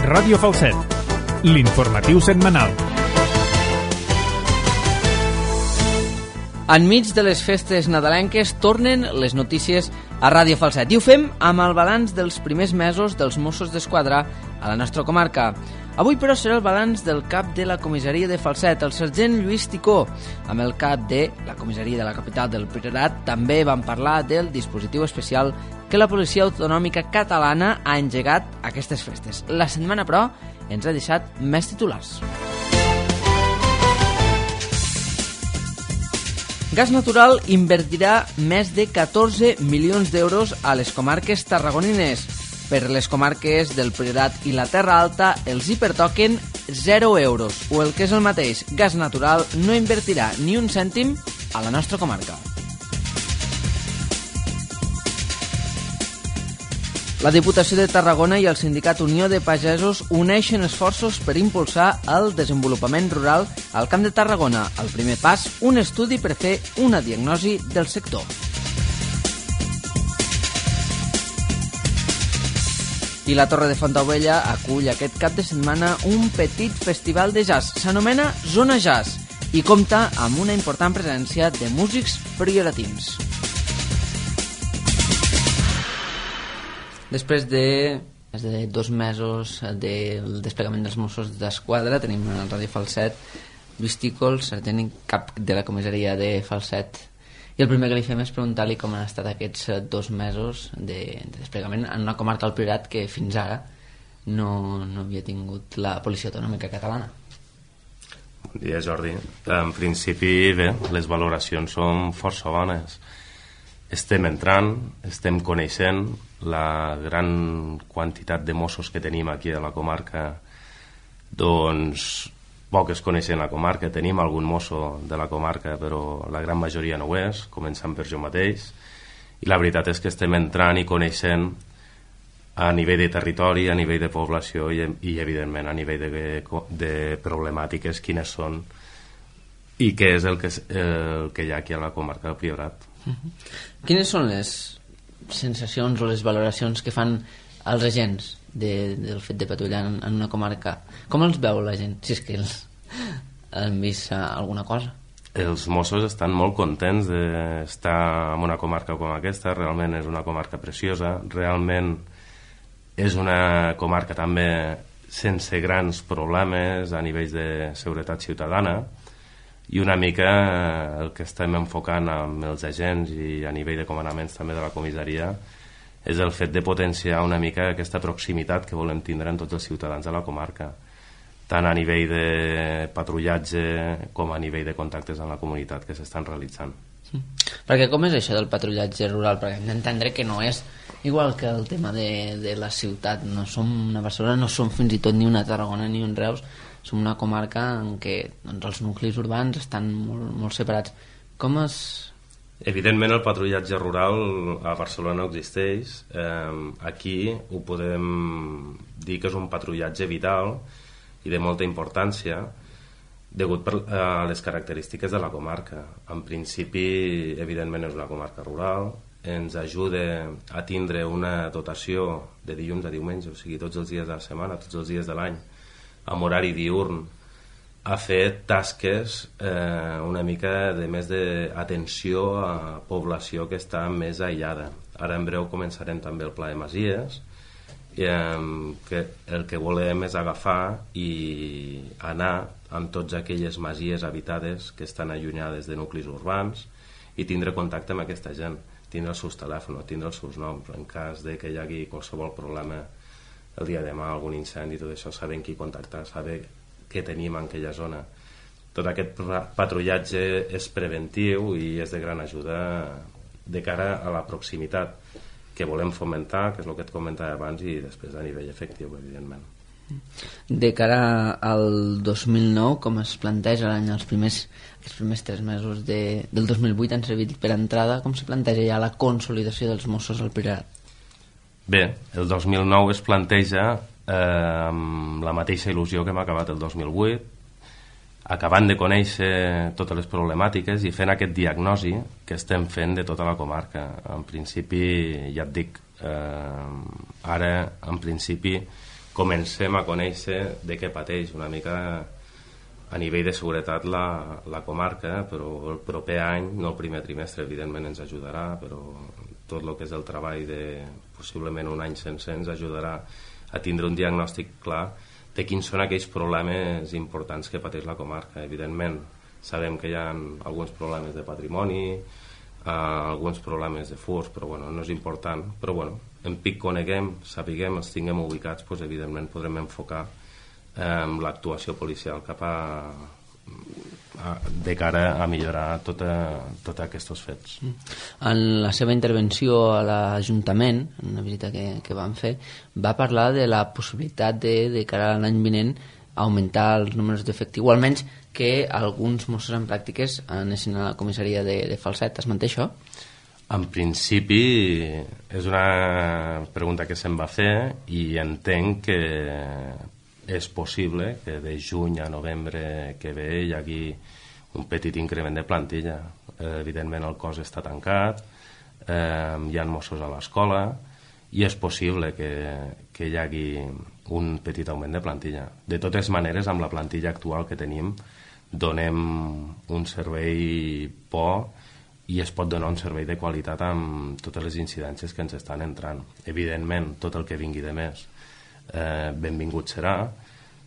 Ràdio Falset, l'informatiu setmanal. Enmig de les festes nadalenques tornen les notícies a Ràdio Falset i ho fem amb el balanç dels primers mesos dels Mossos d'Esquadra a la nostra comarca. Avui, però, serà el balanç del cap de la comissaria de Falset, el sergent Lluís Ticó. Amb el cap de la comissaria de la capital del Priorat també van parlar del dispositiu especial que la Policia Autonòmica Catalana ha engegat aquestes festes. La setmana, però, ens ha deixat més titulars. Gas Natural invertirà més de 14 milions d'euros a les comarques tarragonines. Per les comarques del Priorat i la Terra Alta els hi pertoquen 0 euros, o el que és el mateix, Gas Natural no invertirà ni un cèntim a la nostra comarca. La Diputació de Tarragona i el Sindicat Unió de Pagesos uneixen esforços per impulsar el desenvolupament rural al Camp de Tarragona. El primer pas, un estudi per fer una diagnosi del sector. I la Torre de Fontaubella acull aquest cap de setmana un petit festival de jazz. S'anomena Zona Jazz i compta amb una important presència de músics prioratins. Després de més de 2 mesos del desplegament dels Mossos d'Esquadra, tenim a Ràdio Falset Lluís Ticó, el sergent en cap de la comissaria de Falset. I el primer que li fem és preguntar-li com han estat aquests 2 mesos de desplegament en una comarca del Priorat que fins ara no havia tingut la Policia Autonòmica Catalana. Bon dia, Jordi. En principi, bé, les valoracions són força bones. Estem entrant, estem coneixent la gran quantitat de Mossos que tenim aquí a la comarca. Doncs poques coneixen la comarca, tenim algun mosso de la comarca, però la gran majoria no ho és, començant per jo mateix, i la veritat és que estem entrant i coneixent a nivell de territori, a nivell de població i evidentment a nivell de problemàtiques quines són i què és el que hi ha aquí a la comarca del Priorat. Quines són les sensacions o les valoracions que fan els agents del fet de patrullar en una comarca? Com els veu la gent, si és que han vist alguna cosa? Els Mossos estan molt contents d'estar en una comarca com aquesta. Realment és una comarca preciosa, realment és una comarca també sense grans problemes a nivell de seguretat ciutadana, i una mica el que estem enfocant amb els agents i a nivell de comandaments també de la comissaria és el fet de potenciar una mica aquesta proximitat que volem tindre en tots els ciutadans de la comarca, tant a nivell de patrullatge com a nivell de contactes amb la comunitat que s'estan realitzant. Perquè com és això del patrullatge rural? Perquè hem d'entendre que no és igual que el tema de la ciutat. No som una Barcelona, no som fins i tot ni una Tarragona ni un Reus, som una comarca en què doncs, els nuclis urbans estan molt separats. Com es... Evidentment el patrullatge rural a Barcelona no existeix. Aquí ho podem dir que és un patrullatge vital i de molta importància degut a les característiques de la comarca. En principi, evidentment és una comarca rural, ens ajuda a tindre una dotació de dilluns a diumenge, o sigui tots els dies de la setmana, tots els dies de l'any, amb horari diürn, a fer tasques una mica de més d'atenció a població que està més aïllada. Ara en breu començarem també el Pla de Masies, que el que volem és agafar i anar amb totes aquelles masies habitades que estan allunyades de nuclis urbans i tindre contacte amb aquesta gent, tindre els seus telèfons, tindre els seus noms, en cas de que hi hagi qualsevol problema el dia de demà, algun incendi, tot això, saber qui contactar, saber què tenim en aquella zona. Tot aquest patrullatge és preventiu i és de gran ajuda de cara a la proximitat que volem fomentar, que és el que et comentava abans, i després a nivell efectiu, evidentment. De cara al 2009, com es planteja l'any, els primers 3 mesos del 2008 han servit per entrada, com se planteja ja la consolidació dels Mossos al Priorat? Bé, el 2009 es planteja amb la mateixa il·lusió que hem acabat el 2008, acabant de conèixer totes les problemàtiques i fent aquest diagnosi que estem fent de tota la comarca. En principi, ja et dic, ara en principi comencem a conèixer de què pateix una mica a nivell de seguretat la comarca, però el proper any, no el primer trimestre, evidentment ens ajudarà, però tot el que és el treball de possiblement un any sencer ens ajudarà a tindre un diagnòstic clar de quins són aquells problemes importants que pateix la comarca. Evidentment, sabem que hi ha alguns problemes de patrimoni, alguns problemes de furs, però bueno, no és important. Però bueno, en pic coneguem, sapiguem, els tinguem ubicats, doncs, evidentment podrem enfocar l'actuació policial cap de cara a millorar tots aquests fets. En la seva intervenció a l'Ajuntament, en una visita que van fer, va parlar de la possibilitat de cara a l'any vinent augmentar els números d'efectiu, o almenys que alguns Mossos en pràctiques anessin a la comissaria de Falset. Es manté això? En principi és una pregunta que se'm va fer i entenc que és possible que de juny a novembre que ve hi hagi un petit increment de plantilla. Evidentment el cos està tancat, hi ha Mossos a l'escola i és possible que hi hagi un petit augment de plantilla. De totes maneres, amb la plantilla actual que tenim, donem un servei bo i es pot donar un servei de qualitat amb totes les incidències que ens estan entrant. Evidentment, tot el que vingui de més benvingut serà,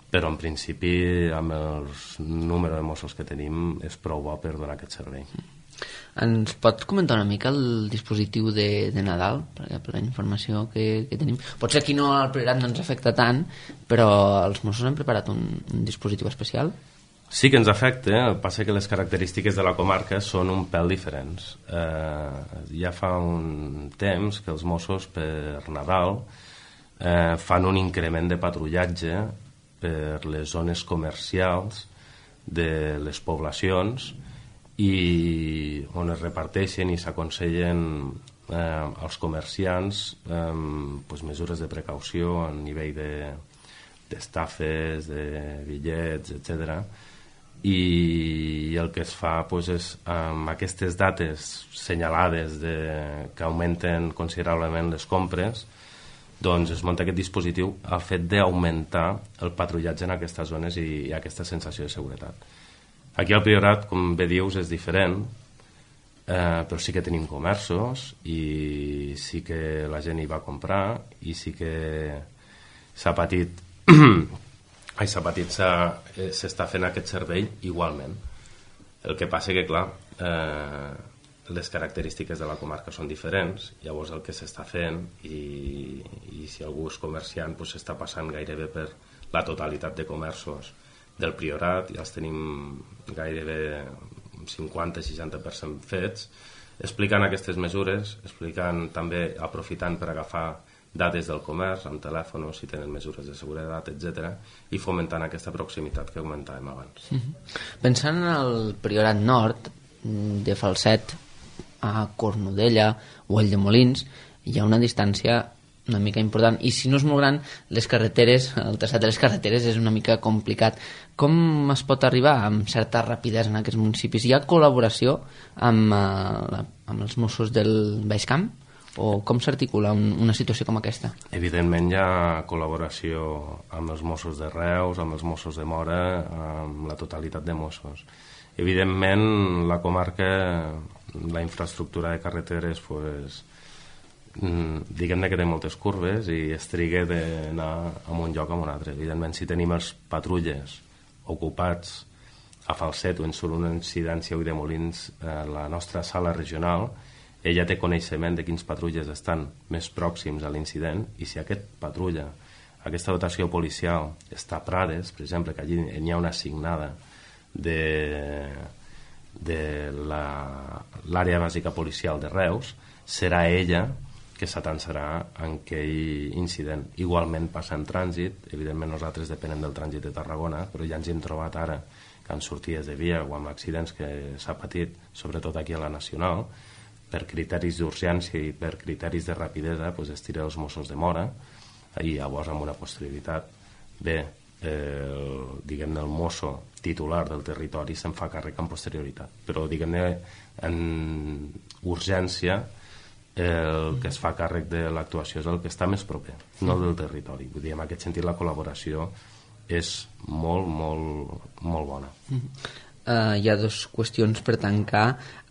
però en principi amb el número de Mossos que tenim és prou bo per donar aquest servei. Ens pot comentar una mica el dispositiu de Nadal, perquè per la informació que tenim, potser aquí no al Priorat no ens afecta tant, però els Mossos han preparat un dispositiu especial? Sí que ens afecta, el que passa que les característiques de la comarca són un pèl diferents. Ja fa un temps que els Mossos per Nadal fan un increment de patrullatge per les zones comercials de les poblacions i on es reparteixen i s'aconsellen als comerciants mesures de precaució a nivell d'estafes, de bitllets, etc. I el que es fa és amb aquestes dates senyalades que augmenten considerablement les compres, doncs es munta aquest dispositiu al fet d'augmentar el patrullatge en aquestes zones i aquesta sensació de seguretat. Aquí al Priorat, com bé dius, és diferent, però sí que tenim comerços i sí que la gent hi va a comprar i sí que s'està fent aquest servei igualment. El que passa que, clar, les característiques de la comarca són diferents, llavors el que s'està fent i si algú és comerciant s'està passant gairebé per la totalitat de comerços del Priorat, ja els tenim gairebé 50-60% fets, explicant aquestes mesures, explicant també, aprofitant per agafar dades del comerç, amb telèfon, si tenen mesures de seguretat, etc., i fomentant aquesta proximitat que comentàvem abans. Pensant en el Priorat Nord, de Falset a Cornudella o el de Molins, hi ha una distància una mica important, i si no és molt gran, les carreteres, el traçat de les carreteres és una mica complicat. Com es pot arribar amb certa rapidesa en aquests municipis? Hi ha col·laboració amb els Mossos del Baix Camp? O com s'articula una situació com aquesta? Evidentment hi ha col·laboració amb els Mossos de Reus, amb els Mossos de Móra, amb la totalitat de Mossos. Evidentment, la comarca, la infraestructura de carreteres, diguem-ne que té moltes curves i es triga d'anar a un lloc a un altre. Evidentment, si tenim els patrulles ocupats a Falset o en solo una incidència de Molins, la nostra sala regional, ella té coneixement de quins patrulles estan més pròxims a l'incident i si aquest patrulla, aquesta dotació policial està a Prades, per exemple, que allí n'hi ha una assignada de l'àrea bàsica policial de Reus, serà ella que s'atansarà en aquell incident. Igualment passa en trànsit, evidentment nosaltres depenem del trànsit de Tarragona, però ja ens hem trobat ara que en sortides de via o amb accidents que s'ha patit, sobretot aquí a la Nacional, per criteris d'urgència i per criteris de rapidesa, es tira els Mossos de Móra i llavors amb una posterioritat diguem-ne el mosso titular del territori se'n fa càrrec amb posterioritat, però diguem-ne en urgència el que es fa càrrec de l'actuació és el que està més proper, no el del territori. Vull dir, en aquest sentit la col·laboració és molt, molt, molt bona. Hi ha dues qüestions per tancar.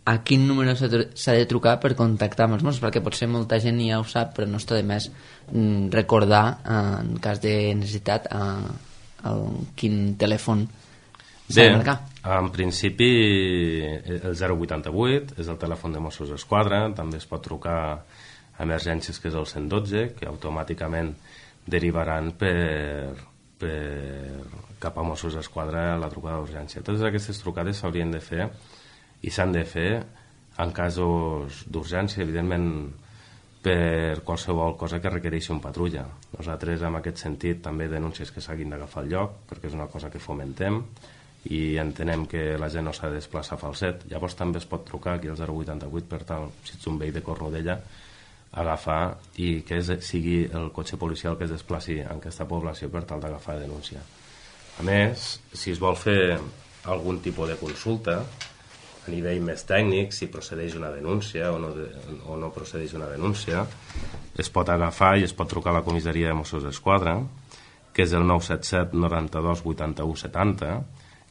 A quin número s'ha de trucar per contactar amb els Mossos? Perquè potser molta gent ja ho sap, però no està de més recordar, en cas de necessitat, quin telèfon s'ha de marcar. En principi el 088 és el telèfon de Mossos d'Esquadra, també es pot trucar a emergències, que és el 112, que automàticament derivaran cap a Mossos d'Esquadra la trucada d'urgència. Totes aquestes trucades s'haurien de fer i s'han de fer en casos d'urgència, evidentment per qualsevol cosa que requereixi un patrulla. Nosaltres, en aquest sentit, també denúncies que s'hagin d'agafar el lloc, perquè és una cosa que fomentem, i entenem que la gent no s'ha de desplaçar a Falset. Llavors també es pot trucar aquí al 088 per tal, si ets un veí de Cornudella, agafar i que sigui el cotxe policial que es desplaci en aquesta població per tal d'agafar denúncia. A més, si es vol fer algun tipus de consulta a nivell més tècnic, si procedeix una denúncia o no procedeix una denúncia, es pot agafar i es pot trucar a la comissaria de Mossos d'Esquadra, que és el 977 92 81 70,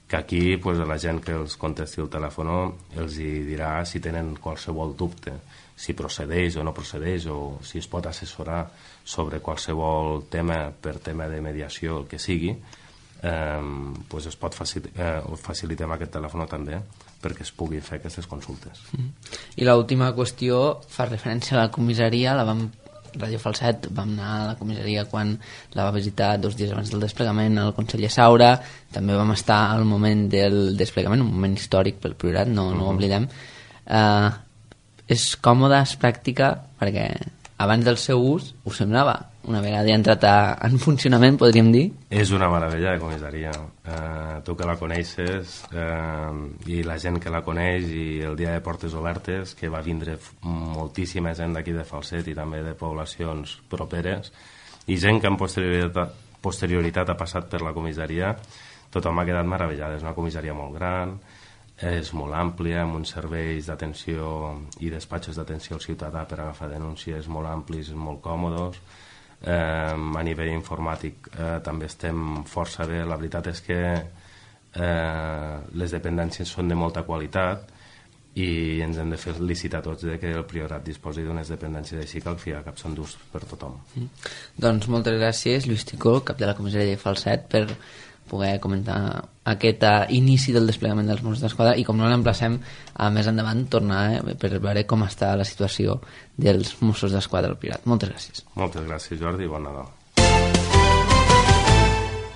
que aquí la gent que els contesti el telèfon els dirà si tenen qualsevol dubte, si procedeix o no procedeix, o si es pot assessorar sobre qualsevol tema per tema de mediació, el que sigui, es pot facilitar aquest telèfon també perquè es pugui fer aquestes consultes. I l'última qüestió fa referència a la comissaria. Radio Falset vam anar a la comissaria quan la va visitar 2 dies abans del desplegament el conseller Saura, també vam estar al moment del desplegament, un moment històric pel Priorat, no ho oblidem. És còmode, és pràctica, perquè abans del seu ús us semblava, una vegada ja entrat en funcionament, podríem dir? És una meravella de comissaria. Tu que la coneixes i la gent que la coneix, i el dia de portes obertes, que va vindre moltíssima gent d'aquí de Falset i també de poblacions properes, i gent que en posterioritat ha passat per la comissaria, tothom ha quedat meravellat. És una comissaria molt gran, és molt àmplia, amb uns serveis d'atenció i despatxos d'atenció al ciutadà per agafar denúncies molt amplis, molt còmodes. A nivell informàtic també estem força bé. La veritat és que les dependències són de molta qualitat i ens hem de felicitar tots de que el Priorat disposi d'unes dependències així que al fi i al cap són d'ús per tothom. Doncs moltes gràcies, Lluís Ticó, cap de la comissaria de Falset, per poder comentar aquest inici del desplegament dels Mossos d'Esquadra, i com no l'emplacem a més endavant tornar per veure com està la situació dels Mossos d'Esquadra al Priorat. Moltes gràcies. Moltes gràcies, Jordi, i bon Nadal.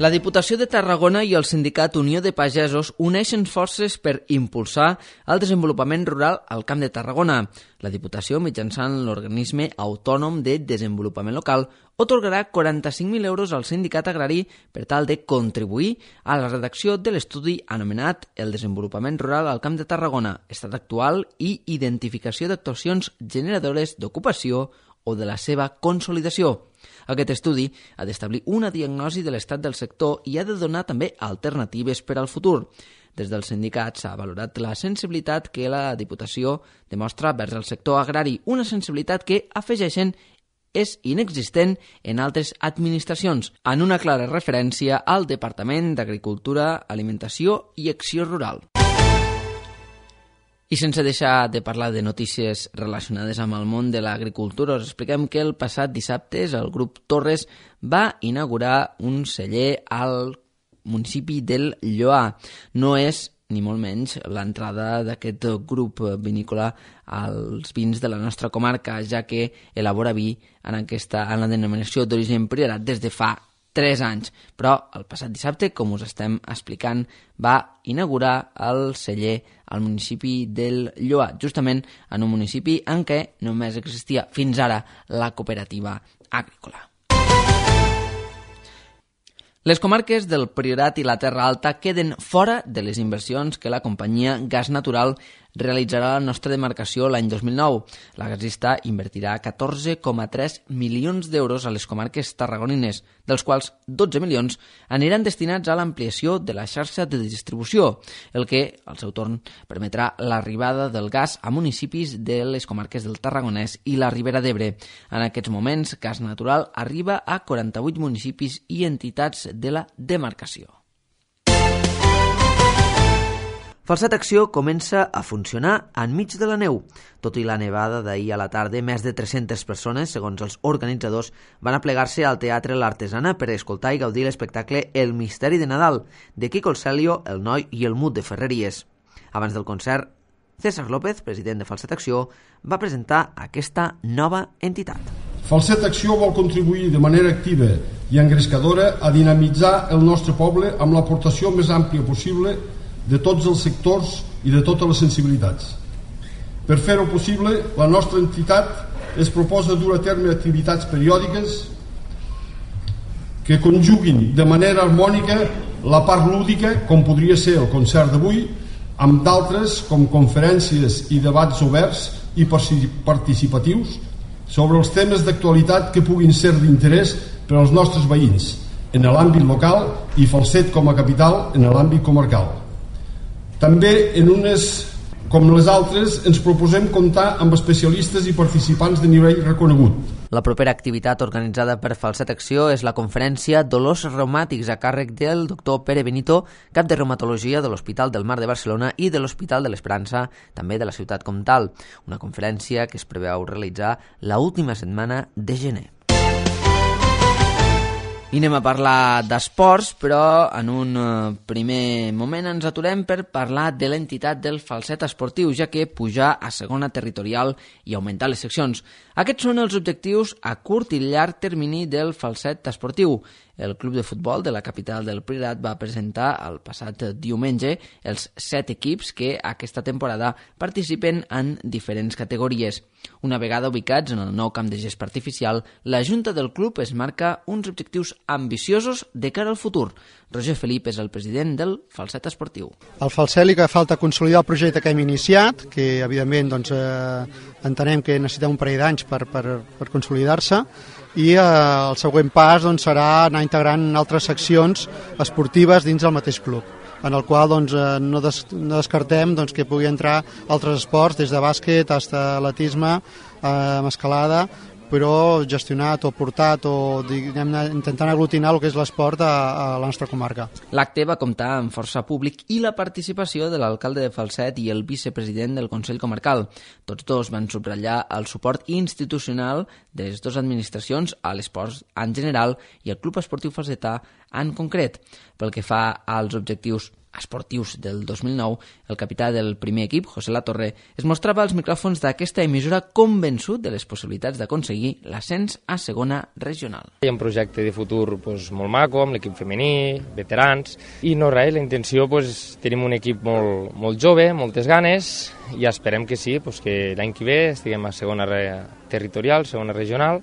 La Diputació de Tarragona i el sindicat Unió de Pagesos uneixen forces per impulsar el desenvolupament rural al Camp de Tarragona. La Diputació, mitjançant l'Organisme Autònom de Desenvolupament Local, atorgarà 45.000 euros al sindicat agrari per tal de contribuir a la redacció de l'estudi anomenat El desenvolupament rural al Camp de Tarragona, estat actual i identificació d'actuacions generadores d'ocupació o de la seva consolidació. Aquest estudi ha d'establir una diagnosi de l'estat del sector i ha de donar també alternatives per al futur. Des del sindicat s'ha valorat la sensibilitat que la Diputació demostra vers el sector agrari, una sensibilitat que, afegeixen, és inexistent en altres administracions, en una clara referència al Departament d'Agricultura, Alimentació i Acció Rural. I sense deixar de parlar de notícies relacionades amb el món de l'agricultura, us expliquem que el passat dissabte el grup Torres va inaugurar un celler al municipi del Lloar. No és ni molt menys l'entrada d'aquest grup vinícola als vins de la nostra comarca, ja que elabora vi en la denominació d'origen Priorat des de fa 3 anys, però el passat dissabte, com us estem explicant, va inaugurar el celler al municipi del Lloar, justament en un municipi en què només existia fins ara la cooperativa agrícola. Les comarques del Priorat i la Terra Alta queden fora de les inversions que la companyia Gas Natural realitzarà la nostra demarcació l'any 2009. La gasista invertirà 14,3 milions d'euros a les comarques tarragonines, dels quals 12 milions aniran destinats a l'ampliació de la xarxa de distribució, el que, al seu torn, permetrà l'arribada del gas a municipis de les comarques del Tarragonès i la Ribera d'Ebre. En aquests moments, Gas Natural arriba a 48 municipis i entitats de la demarcació. Falset Acció comença a funcionar enmig de la neu. Tot i la nevada d'ahir a la tarda, més de 300 persones, segons els organitzadors, van aplegar-se al Teatre L'Artesana per escoltar i gaudir l'espectacle El misteri de Nadal, de Quico el Celio, el Noi i el Mut de Ferreries. Abans del concert, César López, president de Falset Acció, va presentar aquesta nova entitat. Falset Acció vol contribuir de manera activa i engrescadora a dinamitzar el nostre poble amb l'aportació més àmplia possible de tots els sectors i de totes les sensibilitats. Per fer-ho possible, la nostra entitat es proposa dur a terme activitats periòdiques que conjuguin de manera harmònica la part lúdica, com podria ser el concert d'avui, amb d'altres com conferències i debats oberts i participatius sobre els temes d'actualitat que puguin ser d'interès per als nostres veïns en l'àmbit local i Falset com a capital en l'àmbit comarcal. També en unes com les altres ens proposem comptar amb especialistes i participants de nivell reconegut. La propera activitat organitzada per Falset Acció és la conferència Dolors Reumàtics a càrrec del doctor Pere Benito, cap de reumatologia de l'Hospital del Mar de Barcelona i de l'Hospital de l'Esperança, també de la ciutat comtal. Una conferència que es preveu realitzar l'última setmana de gener. I anem a parlar d'esports, però en un primer moment ens aturem per parlar de l'entitat del Falset Esportiu, ja que pujar a segona territorial i augmentar les seccions. Aquests són els objectius a curt i llarg termini del Falset Esportiu. El club de futbol de la capital del Priorat va presentar el passat diumenge els 7 equips que aquesta temporada participen en diferents categories. Una vegada ubicats en el nou camp de gespa artificial, la Junta del club es marca uns objectius ambiciosos de cara al futur. Roger Felip és el president del Falset Esportiu. Al Falset li falta consolidar el projecte que hem iniciat, que evidentment entenem que necessitem un parell d'anys per consolidar-se, i el següent pas serà anar integrant altres seccions esportives dins del mateix club, en el qual no descartem que pugui entrar altres esports, des de bàsquet fins a atletisme, escalada, però gestionat o portat o intentant aglutinar el que és l'esport a la nostra comarca. L'acte va comptar amb força públic i la participació de l'alcalde de Falset i el vicepresident del Consell Comarcal. Tots dos van subratllar el suport institucional de les dues administracions a l'esport en general i al Club Esportiu Falsetà en concret. Pel que fa als objectius esportius del 2009, el capità del primer equip, José Latorre, es mostrava als micròfons d'aquesta emissora convençut de les possibilitats d'aconseguir l'ascens a segona regional. Hi ha un projecte de futur molt maco, amb l'equip femení, veterans, i no res, la intenció, tenim un equip molt jove, moltes ganes, i esperem que sí, que l'any que ve estiguem a segona territorial, segona regional,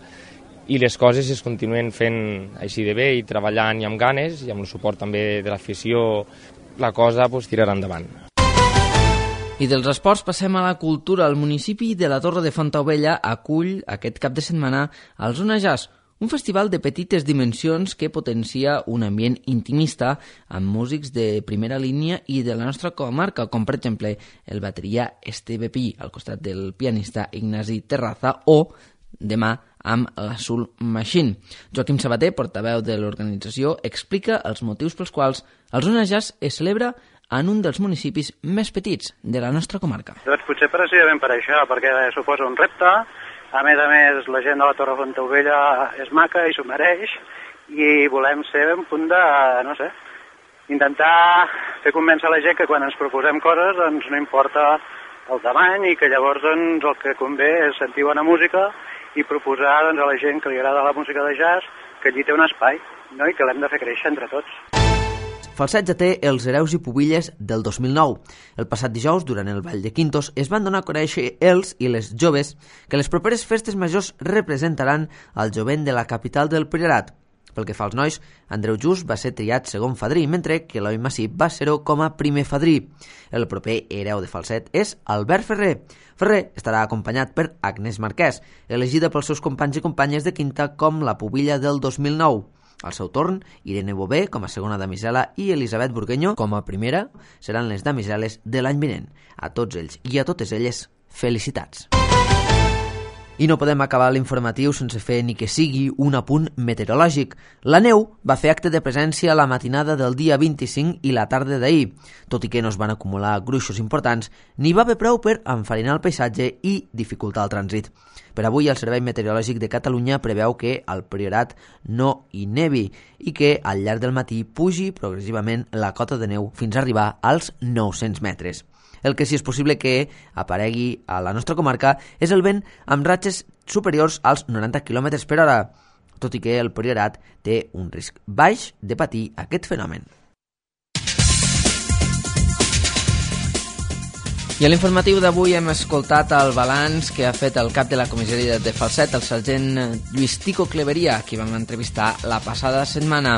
i les coses es continuen fent així de bé i treballant i amb ganes, i amb el suport també de l'afició, la cosa tirarà endavant. I dels esports passem a la cultura. El municipi de la Torre de Fontaubella acull aquest cap de setmana el Zona Jazz, un festival de petites dimensions que potencia un ambient intimista amb músics de primera línia i de la nostra comarca, com per exemple el bateria Esteve Pi, al costat del pianista Ignasi Terraza, o demà amb la Soul Machine. Joaquim Sabater, portaveu de l'organització, explica els motius pels quals el Zona Jazz es celebra en un dels municipis més petits de la nostra comarca. Doncs potser precisament per això, perquè suposa un repte. A més, la gent de la Torre Fontaubella és maca i s'ho mereix, i volem ser un punt de, intentar fer convèncer la gent que quan ens proposem coses no importa el tamany, i que llavors el que convé és sentir bona música i proposar a la gent que li agrada la música de jazz que allí té un espai, i que l'hem de fer créixer entre tots. Falset ja té els Hereus i Pubilles del 2009. El passat dijous, durant el Ball de Quintos, es van donar a conèixer els i les joves que les properes festes majors representaran el jovent de la capital del Priorat. Pel que fa als nois, Andreu Just va ser triat segon fadrí, mentre que Eloi Massip va ser-ho com a primer fadrí. El proper hereu de falset és Albert Ferrer. Ferrer estarà acompanyat per Agnès Marquès, elegida pels seus companys i companyes de quinta com la pubilla del 2009. Al seu torn, Irene Bové com a segona damisela i Elisabet Burgueño com a primera seran les damiseles de l'any vinent. A tots ells i a totes elles, felicitats. I no podem acabar l'informatiu sense fer ni que sigui un apunt meteorològic. La neu va fer acte de presència la matinada del dia 25 i la tarda d'ahir. Tot i que no es van acumular gruixos importants, n'hi va haver prou per enfarinar el paisatge i dificultar el trànsit. Per avui, el Servei Meteorològic de Catalunya preveu que al Priorat no hi nevi i que al llarg del matí pugi progressivament la cota de neu fins a arribar als 900 metres. El que sí és possible que aparegui a la nostra comarca és el vent amb ratxes superiors als 90 km per hora, tot i que el Priorat té un risc baix de patir aquest fenomen. I a l'informatiu d'avui hem escoltat el balanç que ha fet el cap de la comissaria de Falset, el sergent Lluís Tico Cleveria, qui vam entrevistar la passada setmana.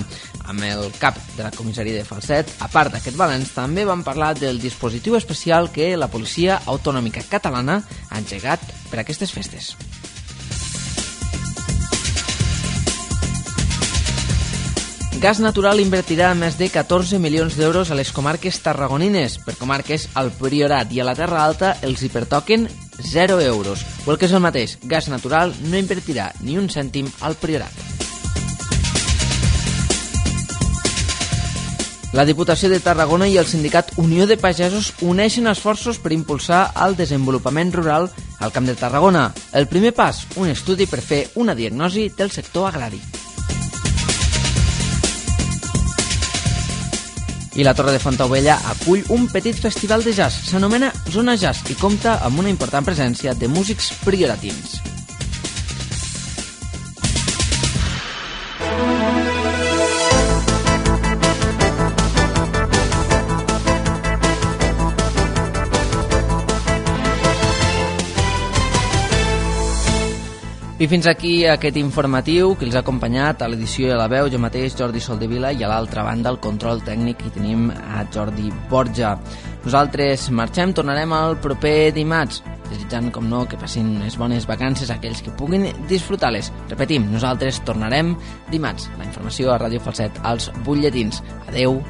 Amb el cap de la comissaria de Falset, a part d'aquest balanç, també vam parlar del dispositiu especial que la Policia Autonòmica Catalana ha engegat per aquestes festes. Gas Natural invertirà més de 14 milions d'euros a les comarques tarragonines. Per comarques, al Priorat i a la Terra Alta els hi pertoquen 0 euros. O el que és el mateix, Gas Natural no invertirà ni un cèntim al Priorat. La Diputació de Tarragona i el sindicat Unió de Pagesos uneixen esforços per impulsar el desenvolupament rural al Camp de Tarragona. El primer pas, un estudi per fer una diagnosi del sector agrari. I la Torre de Fontaubella acull un petit festival de jazz. S'anomena Zona Jazz i compta amb una important presència de músics prioratins. I fins aquí aquest informatiu que els ha acompanyat a l'edició de La Veu, jo mateix, Jordi Soldevila, i a l'altra banda, el control tècnic, hi tenim a Jordi Borja. Nosaltres marxem, tornarem el proper dimarts, desitjant, com no, que passin unes bones vacances a aquells que puguin disfrutar-les. Repetim, nosaltres tornarem dimarts. La informació a Ràdio Falset als butlletins. Adeu.